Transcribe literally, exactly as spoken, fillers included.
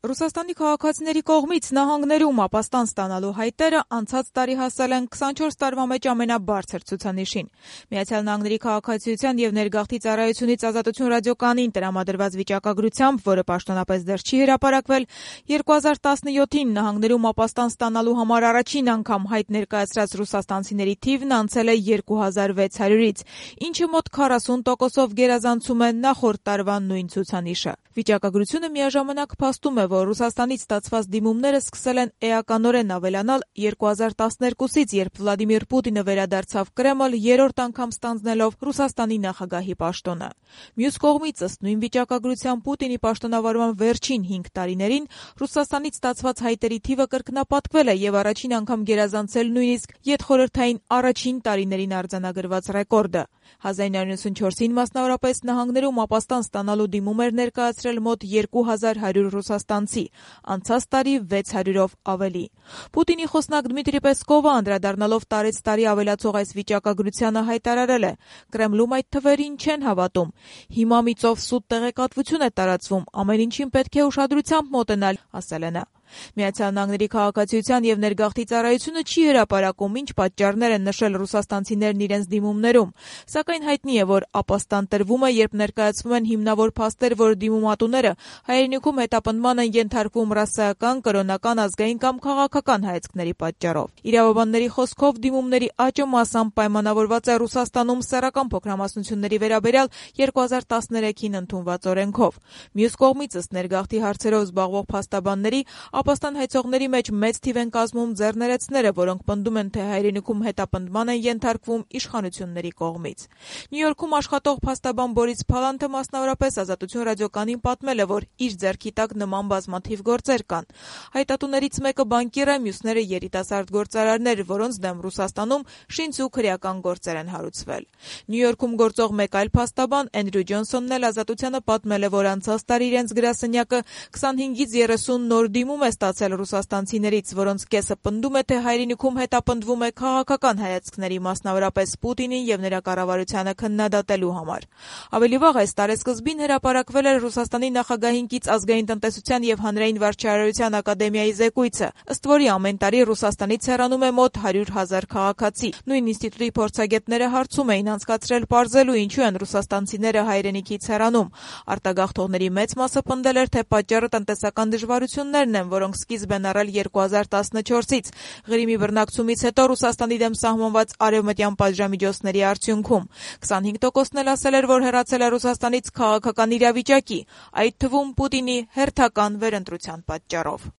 Ռուսաստանի քաղաքացիների կողմից նահանգներում ապաստան ստանալու հայտերը անցած տարի հասել են քսանչորս տարվա մեջ ամենաբարձր ցուցանիշին։ Միացյալ Նահանգների քաղաքացիության եւ ներգաղթի ծառայությունից Ազատություն ռադիոկայանին տրամադրված վիճակագրությամբ, որը պաշտոնապես դեռ չի հրապարակվել, երկու հազար տասնյոթին նահանգներում ապաստան ստանալու համար առաջին անգամ հայտ ներկայացրած ռուսաստանցիների թիվն անցել է երկու հազար վեց հարյուրից, ինչը մոտ քառասուն տոկոսով գերազանցում է նախորդ տարվա նույն ցուցանիշը։ Վիճակագրությունը միաժամանակ փաստում է, որ Ռուսաստանից ստացված դիմումները սկսել են էականորեն ավելանալ երկու հազար տասներկուսից, երբ Վլադիմիր Պուտինը վերադարձավ Կրեմլ, երրորդ անգամ ստանձնելով Ռուսաստանի նախագահի պաշտոնը։ Մյուս կողմից, ըստ նույն վիճակագրության, Պուտինի պաշտոնավարման վերջին հինգ տարիներին Ռուսաստանից ստացված հայտերի թիվը կրկնապատկվել է եւ առաջին անգամ գերազանցել նույնիսկ յետխորհրդային առաջին տարիներին արձանագրված ռեկորդը։ հազար իննսուն նվաթյոթին մասնավորապես նահանգներում ապաստան ստանալու դիմում էր ներկայացրել մոտ երկու հազար հարյուր ռուսաստանցի, անցած տարի վեց հարյուրով ավելի։ Պուտինի խոսնակ Դմիտրի Պեսկովը, անդրադառնալով տարեց տարի ավելացող այս վիճակագրությանը, հայտարարել է. «Կրեմլում այդ թվերին չեն հավատում։ Հիմա մի ծով սուտ տեղեկատվություն է տարածվում, ամեն ինչին պետք է ուշադրությամբ մոտենալ», ասել է նա։ Միացյալ Նահանգների քաղաքացիության եւ ներգաղթի ծառայությունը չի հրապարակում, ինչ պատճառներ են նշել ռուսաստանցիներն իրենց դիմումներում, սակայն հայտնի է, որ ապաստան տրվում է, երբ ներկայացվում են հիմնավոր փաստեր, որ դիմումատուները հայրենիքում հետապնդման են ենթարկվում ռասայական, կրոնական, ազգային կամ քաղաքական հայացքների պատճառով։ Իրավաբանների խոսքով դիմումների աճը մասամբ պայմանավորված է Ռուսաստանում սեռական փոքրամասնությունների վերաբերյալ երկու հազար տասներեքին ընդունված օրենքով։ Մյուս կողմից, ըստ ներգաղթի հարցերով զբաղվող փաստաբանների, ապաստան հայցողների մեջ մեծ թիվ են կազմում ձեռներեցները, որոնք պնդում են, թե հայրենիքում հետապնդման են ենթարկվում իշխանությունների կողմից։ Նյու Յորքում աշխատող փաստաբան Բորիս Փալանթը մասնավորապես Ազատություն ռադիոկայանին պատմել է, որ իր ձեռքի տակ նման բազմաթիվ գործեր կան։ Հայտատուներից մեկը բանկիր է, մյուսները երիտասարդ գործարարներ, որոնց դեմ Ռուսաստանում շինց ու քրեական գործեր են հարուցվել։ Նյու Յորքում գործող մեկ այլ փաստաբան Էնդրյու Ջոնսոնն էլ Ազատությանը պատմել է, որ անցած տարի իրենց գրասենյակը քսանհինգից երեսուն նոր դիմում է ստացել ռուսաստանցիներից, որոնց կեսը պնդում է, թե հայրենիքում հետապնդվում է քաղաքական հայացքների, մասնավորապես Պուտինին եւ նրա կառավարությանը քննադատելու համար։ Ավելի վաղ այս տարեսկզբին հրապարակվել էր Ռուսաստանի նախագահին կից ազգային տնտեսության եւ հանրային վարչարարության ակադեմիայի զեկույցը, ըստ որի ամեն տարի Ռուսաստանից հեռանում է մոտ հարյուր հազար քաղաքացի։ Նույն ինստիտուտի փորձագետները հարցում էին անցկացրել պարզելու, ինչու են ռուսաստանցիները հայրենիքից հեռանում։ Արտագաղթողների մեծ մասը պնդել էր, թե պատճառը տնտեսական դժվարություններն են, որոնք սկիզբ են առել երկու հազար տասնչորսից Ղրիմի բռնակցումից հետո Ռուսաստանի դեմ սահմանված արևմտյան պատժամիջոցների արդյունքում։ քսանհինգ տոկոսն էլ ասել էր, որ հեռացել է Ռուսաստանից քաղաքական իրավիճակի, այդ թվում Պուտինի հերթական վերընտրության պատճառով։